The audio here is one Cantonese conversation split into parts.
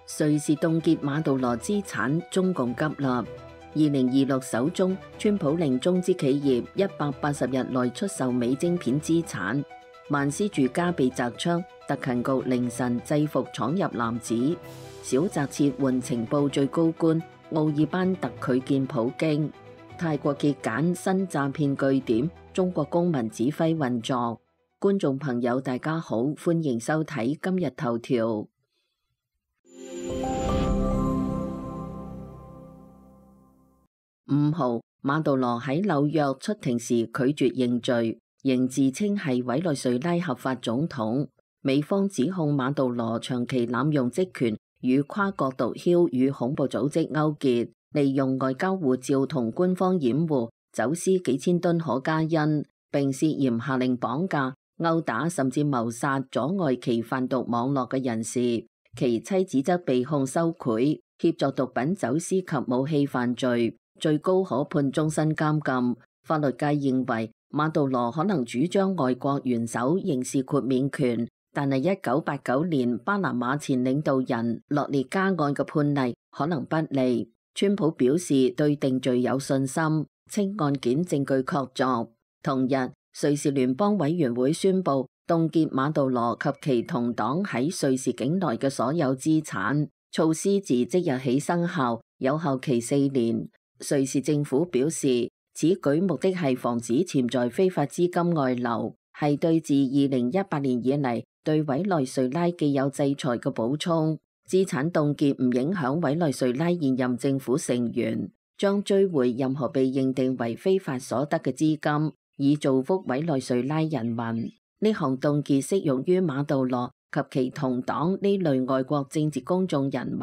瑞士凍結馬杜羅資產，中共急立。2026首宗，川普令中資企業180日內出售美晶片資產。萬斯住家被砸槍，特勤局凌晨制服闖入男子。小澤撤換情報最高官，奧爾班特拒見普京。泰國揭簡新詐騙據點，中國公民指揮運作。觀眾朋友大家好，歡迎收睇今日頭條。5號，馬杜羅喺紐約出庭時拒絕認罪，仍自稱係委內瑞拉合法總統。美方指控馬杜羅長期濫用職權，與跨國毒梟與恐怖組織勾結，利用外交護照同官方掩護，走私幾千噸可卡因，並涉嫌下令綁架、毆打甚至謀殺阻礙其販毒網絡嘅人士。其妻子則被控收賄、協助毒品走私及武器犯罪，最高可判終身監禁。法律界認為馬杜羅可能主張外國元首刑事豁免權，但係1989年巴拿馬前領導人洛列加案嘅判例可能不利。川普表示對定罪有信心，稱案件證據確鑿。同日，瑞士聯邦委員會宣布凍結馬杜羅及其同黨喺瑞士境內嘅所有資產，措施自即日起生效，有效期4年。瑞士政府表示，此舉目的係防止潛在非法資金外流，係對自2018年以嚟對委內瑞拉既有制裁嘅補充。資產凍結唔影響委內瑞拉現任政府成員，將追回任何被認定為非法所得嘅資金，以造福委內瑞拉人民。呢項凍結適用於馬杜羅及其同黨呢類外國政治公眾人物，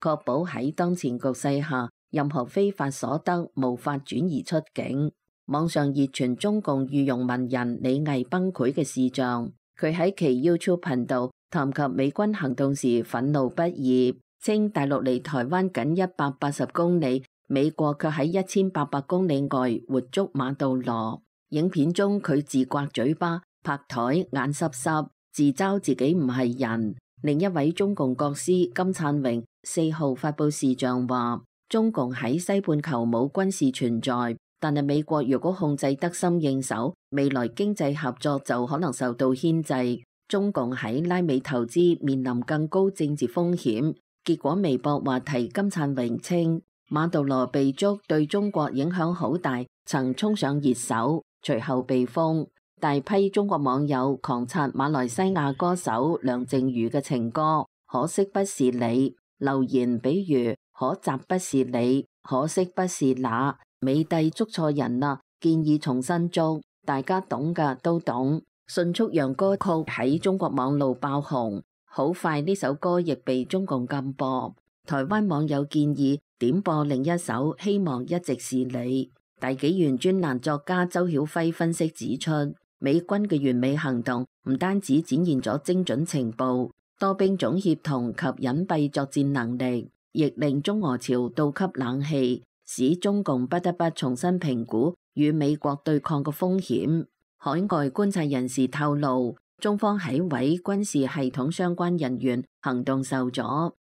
確保喺當前局勢下，任何非法所得無法轉移出境。網上熱傳中共御用文人李毅崩潰嘅視像，佢喺其 YouTube 頻道談及美軍行動時憤怒不已，稱大陸離台灣僅180公里，美國卻喺1800公里外活捉馬杜羅。影片中佢自刮嘴巴、拍台、眼濕濕，自嘲自己唔係人。另一位中共國師金燦榮4號發佈視像話，中共喺西半球冇軍事存在，但係美國如果控制得心應手，未來經濟合作就可能受到牽制。中共喺拉美投資面臨更高政治風險。結果微博話題金燦榮稱，馬杜羅被捉對中國影響好大，曾衝上熱搜，隨後被封。大批中國網友狂刷馬來西亞歌手梁靜茹嘅情歌，可惜不是你。留言比如可惜不是你，可惜不是那，美帝捉錯人啦，建議重新捉。大家懂㗎都懂，迅速讓歌曲喺中國網路爆紅。好快呢首歌亦被中共禁播。台灣網友建議點播另一首希望一直是你。大紀元專欄作家周曉輝分析指出，美軍嘅完美行動唔單止展現咗精準情報、多兵種協同及隱蔽作戰能力，亦令中俄朝倒吸冷氣，使中共不得不重新評估與美國對抗嘅風險。海外觀察人士透露，中方喺委軍事系統相關人員行動受阻，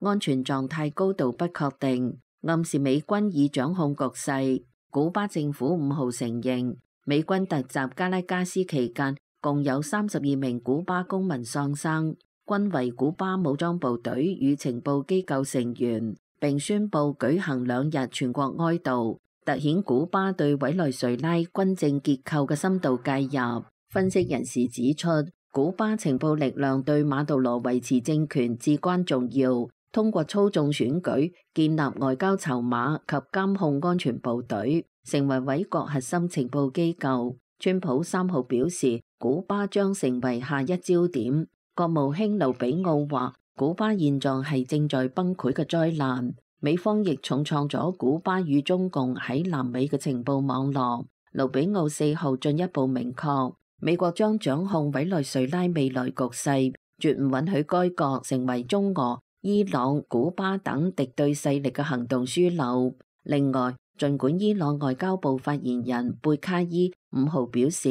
安全狀態高度不確定，暗示美軍已掌控局勢。古巴政府5號承認，美軍突襲加拉加斯期間，共有32名古巴公民喪生，均為古巴武裝部隊與情報機構成員，並宣布舉行2日全國哀悼，凸顯古巴對委內瑞拉軍政結構嘅深度介入。分析人士指出，古巴情報力量對馬杜羅維持政權至關重要，通過操縱選舉、建立外交籌碼及監控安全部隊，成為委國核心情報機構。川普3號表示，古巴將成為下一焦點。國務卿盧比奧話，古巴現狀係正在崩潰嘅災難。美方亦重創咗古巴與中共喺南美嘅情報網絡。盧比奧4號進一步明確，美國將掌控委內瑞拉未來局勢，絕唔允許該國成為中俄、伊朗、古巴等敵對勢力嘅行動樞紐。另外，儘管伊朗外交部發言人貝卡伊5號表示，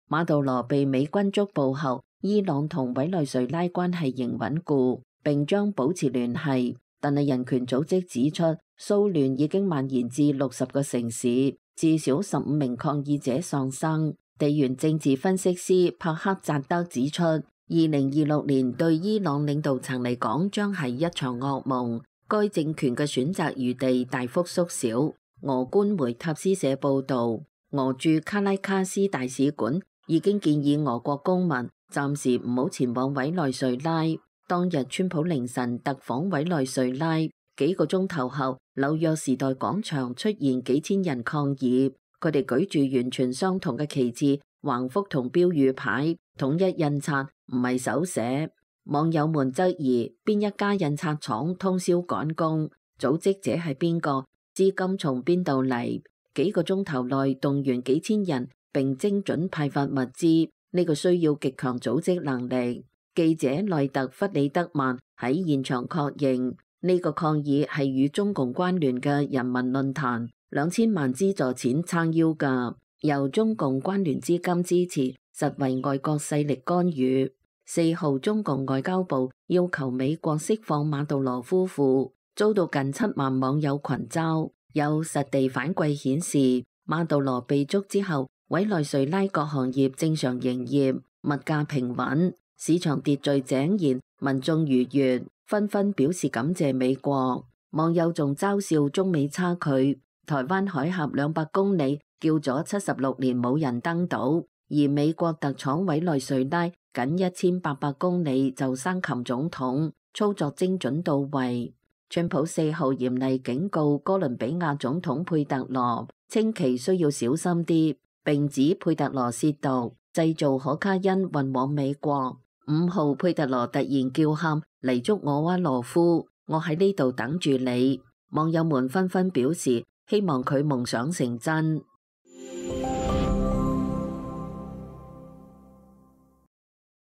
馬杜羅被美軍捉捕後，伊朗同委內瑞拉關係仍穩固，並將保持聯繫，但係人權組織指出，騷亂已經蔓延至60個城市，至少15名抗議者喪生。地緣政治分析師帕克扎德指出，2026年對伊朗領導層嚟講將係一場噩夢，該政權嘅選擇餘地大幅縮小。俄官媒塔斯社報導，俄駐卡拉卡斯大使館已經建議俄國公民暫時唔好前往委內瑞拉。當日川普凌晨特訪委內瑞拉，幾個鐘頭後，紐約時代廣場出現幾千人抗議。佢哋舉住完全相同嘅旗幟、橫幅同標語牌，統一印刷，唔係手寫。網友們質疑邊一家印刷廠通宵趕工，組織者係邊個，資金從邊度嚟？幾個鐘頭內動員幾千人並精準派發物資，呢個需要極強組織能力。記者內特弗里德曼喺現場確認，呢個抗議係與中共關聯嘅人民論壇2000萬資助錢撐腰㗎，由中共關聯資金支持，實為外國勢力干預。4號，中共外交部要求美國釋放馬杜羅夫婦，遭到近7萬網友群嘲。有實地反饋顯示，馬杜羅被捉之後，委內瑞拉各行業正常營業，物價平穩，市場秩序井然，民眾愉悅，紛紛表示感謝美國。網友仲嘲笑中美差距。台灣海峽200公里叫咗76年冇人登島，而美國特闖委內瑞拉僅1800公里就生擒總統，操作精準到位。川普4號嚴厲警告哥倫比亞總統佩特羅，稱其需要小心啲，並指佩特羅褻瀆，製造可卡因運往美國。5號，佩特羅突然叫喊嚟捉我娃羅夫，我喺呢度等住你。網友們紛紛表示，希望佢夢想成真。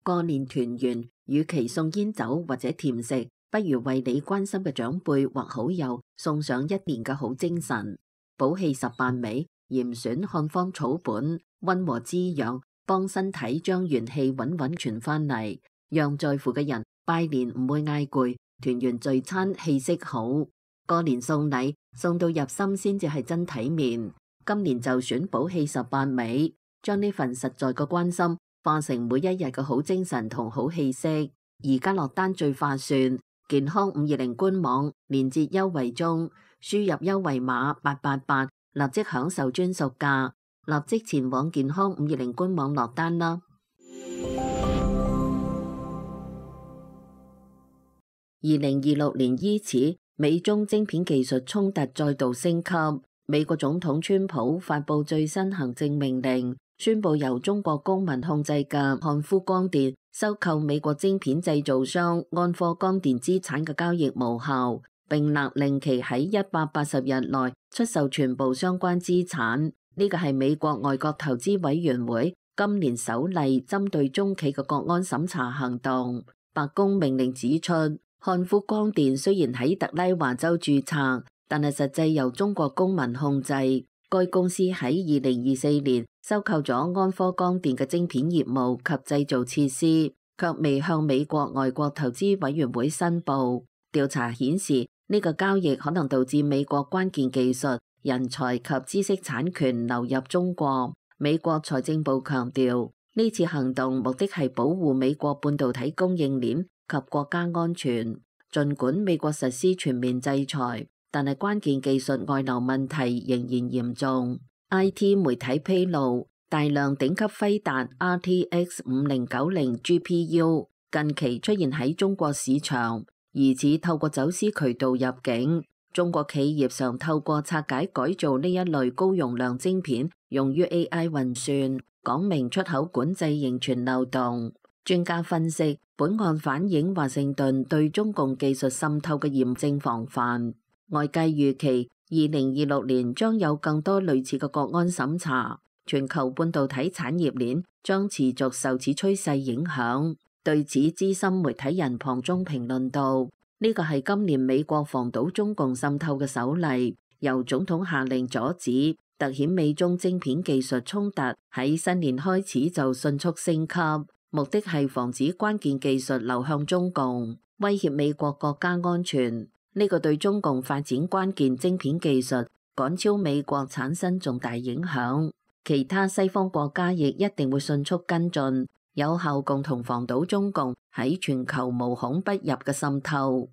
過年團圓，與其送煙酒或者甜食，不如為你關心嘅長輩或好友送上1年嘅好精神。補氣18味，嚴選漢方草本，溫和滋養，幫身體將元氣穩穩傳返嚟，讓在乎嘅人拜年唔會嗌攰，團圓聚餐氣息好。過年送禮，送到入心先至係真體面。今年就選補氣18味，將呢份實在嘅關心化成每一日嘅好精神同好氣息。而家落單最划算，健康520官網連結優惠中，輸入優惠碼888，立即享受專屬價，立即前往健康520官網落單啦。2026年伊始，美中晶片技術衝突再度升級。美國總統川普發布最新行政命令，宣布由中國公民控制嘅漢夫光電收購美國晶片製造商安科光電資產嘅交易無效，並勒令其喺180日內出售全部相關資產。呢個係美國外國投資委員會今年首例針對中企嘅國安審查行動。白宮命令指出，漢夫光電雖然喺特拉華州註冊，但係實際由中國公民控制。該公司喺2024年收購咗安科光電嘅晶片業務及製造設施，卻未向美國外國投資委員會申報。調查顯示，呢個交易可能導致美國關鍵技術、人才及知識產權流入中國。美國財政部強調，呢次行動目的係保護美國半導體供應鏈及國家安全。儘管美國實施全面制裁，但係關鍵技術外流問題仍然嚴重。IT 媒體披露，大量頂級輝達 RTX 5090 GPU 近期出現喺中國市場，疑似透過走私渠道入境。中國企業常透過拆解改造呢一類高容量晶片，用於 AI 運算，講明出口管制仍存漏洞。專家分析，本案反映華盛頓對中共技術滲透嘅嚴正防範。外界預期2026年將有更多類似嘅國安審查，全球半導體產業鏈將持續受此趨勢影響。對此，資深媒體人龐中評論道：呢個係今年美國防堵中共滲透嘅首例，由總統下令阻止，凸顯美中晶片技術衝突喺新年開始就迅速升級。目的係防止關鍵技術流向中共，威脅美國國家安全。呢個對中共發展關鍵晶片技術趕超美國產生重大影響。其他西方國家亦一定會迅速跟進，有效共同防堵中共喺全球無孔不入嘅滲透。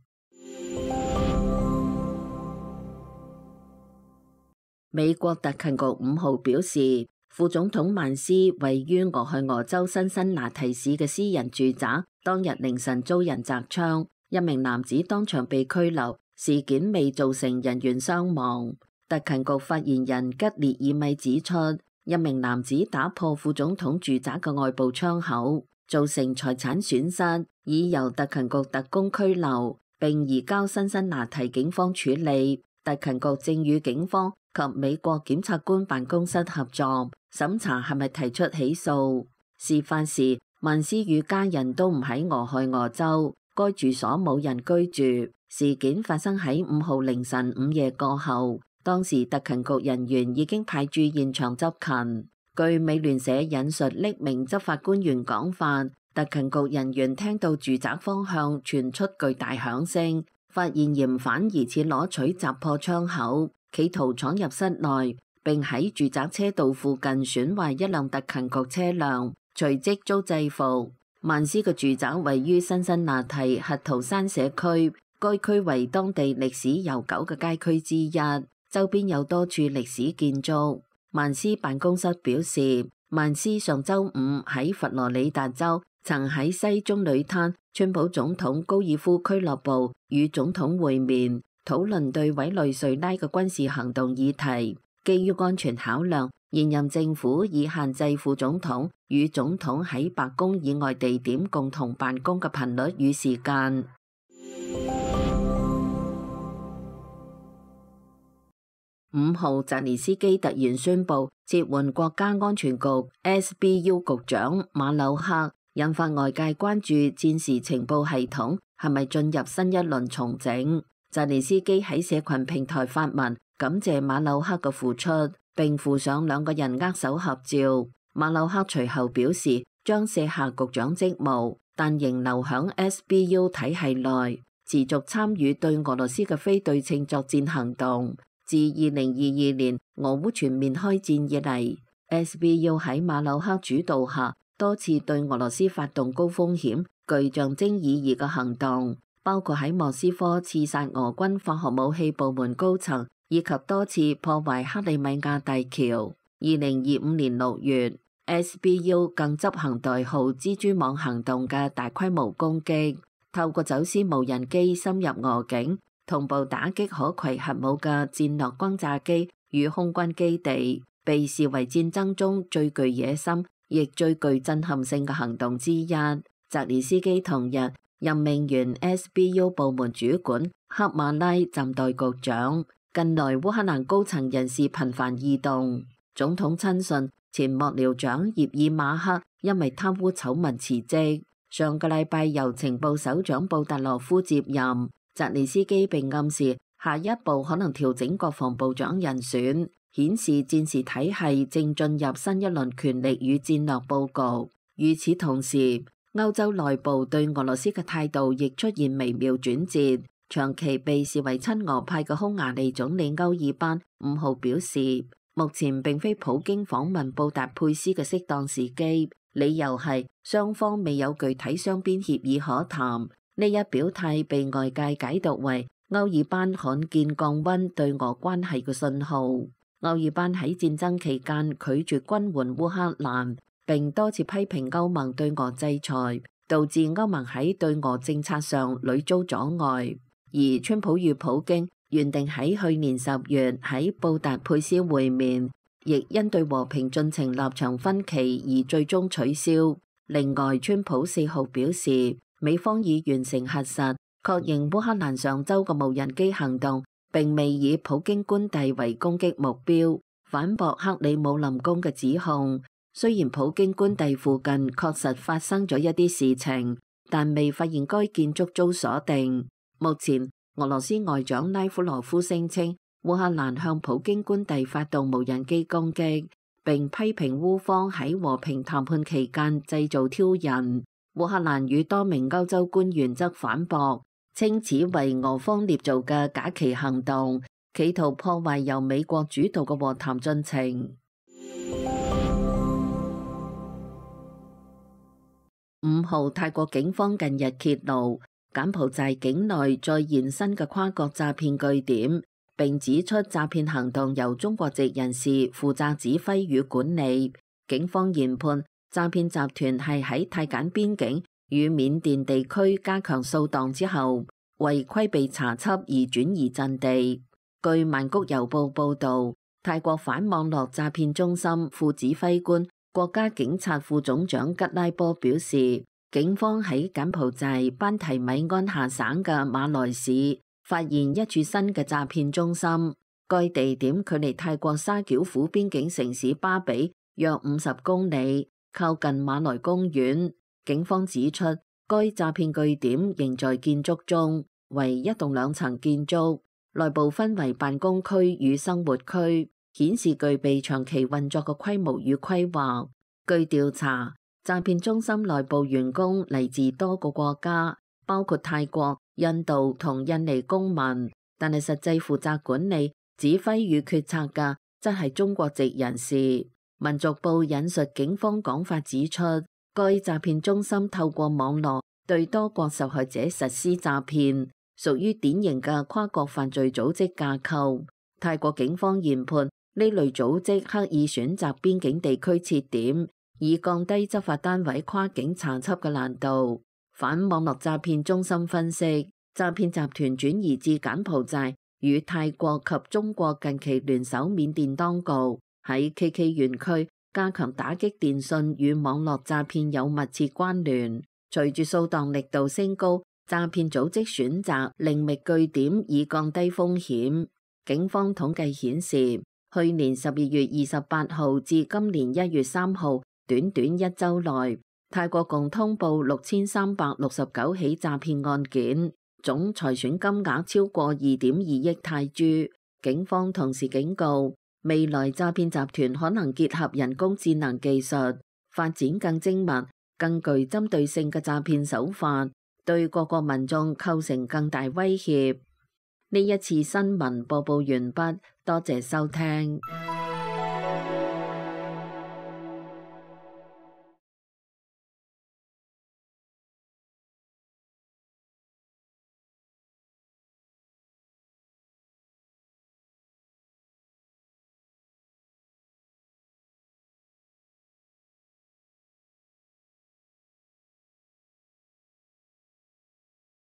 美國特勤局5號表示，副總統曼斯位於俄亥俄州辛辛那提市嘅私人住宅，當日凌晨遭人擲槍，一名男子當場被拘留，事件未造成人員傷亡。特勤局發言人吉列爾米指出，一名男子打破副總統住宅嘅外部窗口，造成財產損失，已由特勤局特工拘留，並移交辛辛那提警方處理。特勤局正與警方及美國檢察官辦公室合作，審查係咪提出起訴。事發時，曼斯與家人都唔喺俄亥俄州，該住所冇人居住。事件發生喺5號凌晨午夜過後，當時特勤局人員已經派駐現場執勤。據美聯社引述匿名執法官員講法，特勤局人員聽到住宅方向傳出巨大響聲，發現嫌犯疑似攞取砸破窗口，企圖闖入室內，並喺住宅車道附近損壞一輛特勤局車輛，隨即遭制服。曼斯嘅住宅位於辛辛那提核桃山社區，該區為當地歷史悠久嘅街區之一，周邊有多處歷史建築。曼斯辦公室表示，曼斯上週五喺佛羅里達州曾喺西棕櫚灘川普總統高爾夫俱樂部與總統會面，討論對委內瑞拉嘅軍事行動議題。基於安全考量，現任政府已限制副總統與總統喺白宮以外地點共同辦公嘅頻率與時間。5號，澤連斯基突然宣布撤換國家安全局 SBU 局長馬柳克，引發外界關注戰時情報系統係咪進入新一輪重整。澤連斯基喺社群平台發文感謝馬柳克嘅付出，並附上兩個人握手合照。馬柳克隨後表示將卸下局長職務，但仍留響 SBU 體系內，持續參與對俄羅斯嘅非對稱作戰行動。自2022年俄烏全面開戰以嚟， SBU 喺馬柳克主導下多次對俄羅斯發動高風險、具象徵意義嘅行動，包括喺莫斯科刺殺俄軍化學武器部門高層，以及多次破壞克里米亞大橋。2025年6月， SBU 更執行代號蜘蛛網行動嘅大規模攻擊，透過走私無人機深入俄境，同步打擊可攜核武嘅戰略轟炸機與空軍基地，被視為戰爭中最具野心亦最具震撼性嘅行動之一。澤連斯基同日任命原 SBU 部門主管克馬拉暫代局長。近來烏克蘭高層人士頻繁異動，總統親信前幕僚長葉爾馬克因為貪污醜聞辭職，上個禮拜由情報首長布達羅夫接任。澤連斯基並暗示下一步可能調整國防部長人選，顯示戰時體系正進入新一輪權力與戰略佈局。與此同時，歐洲內部對俄羅斯嘅態度亦出現微妙轉折。長期被視為親俄派嘅匈牙利總理歐爾班5號表示，目前並非普京訪問布達佩斯嘅適當時機，理由係雙方未有具體雙邊協議可談。呢一表態被外界解讀為歐爾班罕見降溫對俄關係嘅信號。歐爾班喺戰爭期間拒絕軍援烏克蘭，並多次批評歐盟對俄制裁，導致歐盟喺對俄政策上屢遭阻礙。而川普與普京原定喺去年10月喺布達佩斯會面，亦因對和平進程立場分歧而最終取消。另外，川普4號表示，美方已完成核實，確認烏克蘭上週嘅無人機行動並未以普京官邸為攻擊目標，反駁克里姆林宮嘅指控。雖然普京官邸附近確實發生咗一啲事情，但未發現該建築遭鎖定。目前，俄羅斯外長拉夫羅夫聲稱烏克蘭向普京官邸發動無人機攻擊，並批評烏方喺和平談判期間製造挑釁。烏克蘭與多名歐洲官員則反駁，稱此為俄方捏造嘅假旗行動，企圖破壞由美國主導嘅和談進程。5號，泰國警方近日揭露柬埔寨境內再現新嘅跨國詐騙據點，並指出詐騙行動由中國籍人士負責指揮與管理。警方研判詐騙集團係喺泰柬邊境與緬甸地區加強掃蕩之後，為規避查緝而轉移陣地。據曼谷郵報報導，泰國反網絡詐騙中心副指揮官、國家警察副總長吉拉波表示，警方喺柬埔寨班提米安下省嘅馬來市發現一處新嘅詐騙中心，該地點距離泰國沙繳府邊境城市巴比約50公里，靠近馬來公園。警方指出，該詐騙據點仍在建築中，為一棟2層建築，內部分為辦公區與生活區，顯示具備長期運作嘅規模與規劃。據調查，詐騙中心內部員工嚟自多個國家，包括泰國、印度同印尼公民，但係實際負責管理、指揮與決策嘅則係中國籍人士。民族報引述警方講法指出，該詐騙中心透過網絡對多國受害者實施詐騙，屬於典型嘅跨國犯罪組織架構。泰國警方研判呢類組織刻意選擇邊境地區設點，以降低執法單位跨境查緝嘅難度。反網絡詐騙中心分析，詐騙集團轉移至柬埔寨與泰國及中國近期聯手緬甸當局喺 KK 園區加強打擊電信與網絡詐騙有密切關聯。隨住掃蕩力度升高，詐騙組織選擇另覓據點以降低風險。警方統計顯示，去年12月28號至今年1月3號，短短1週內，泰國共通報6369起詐騙案件，總財損金額超過2.2億泰銖。警方同時警告，未來詐騙集團可能結合人工智能技術，發展更精密、更具針對性嘅詐騙手法，對各國民眾構成更大威脅。呢一次新聞播報完畢，多謝收聽。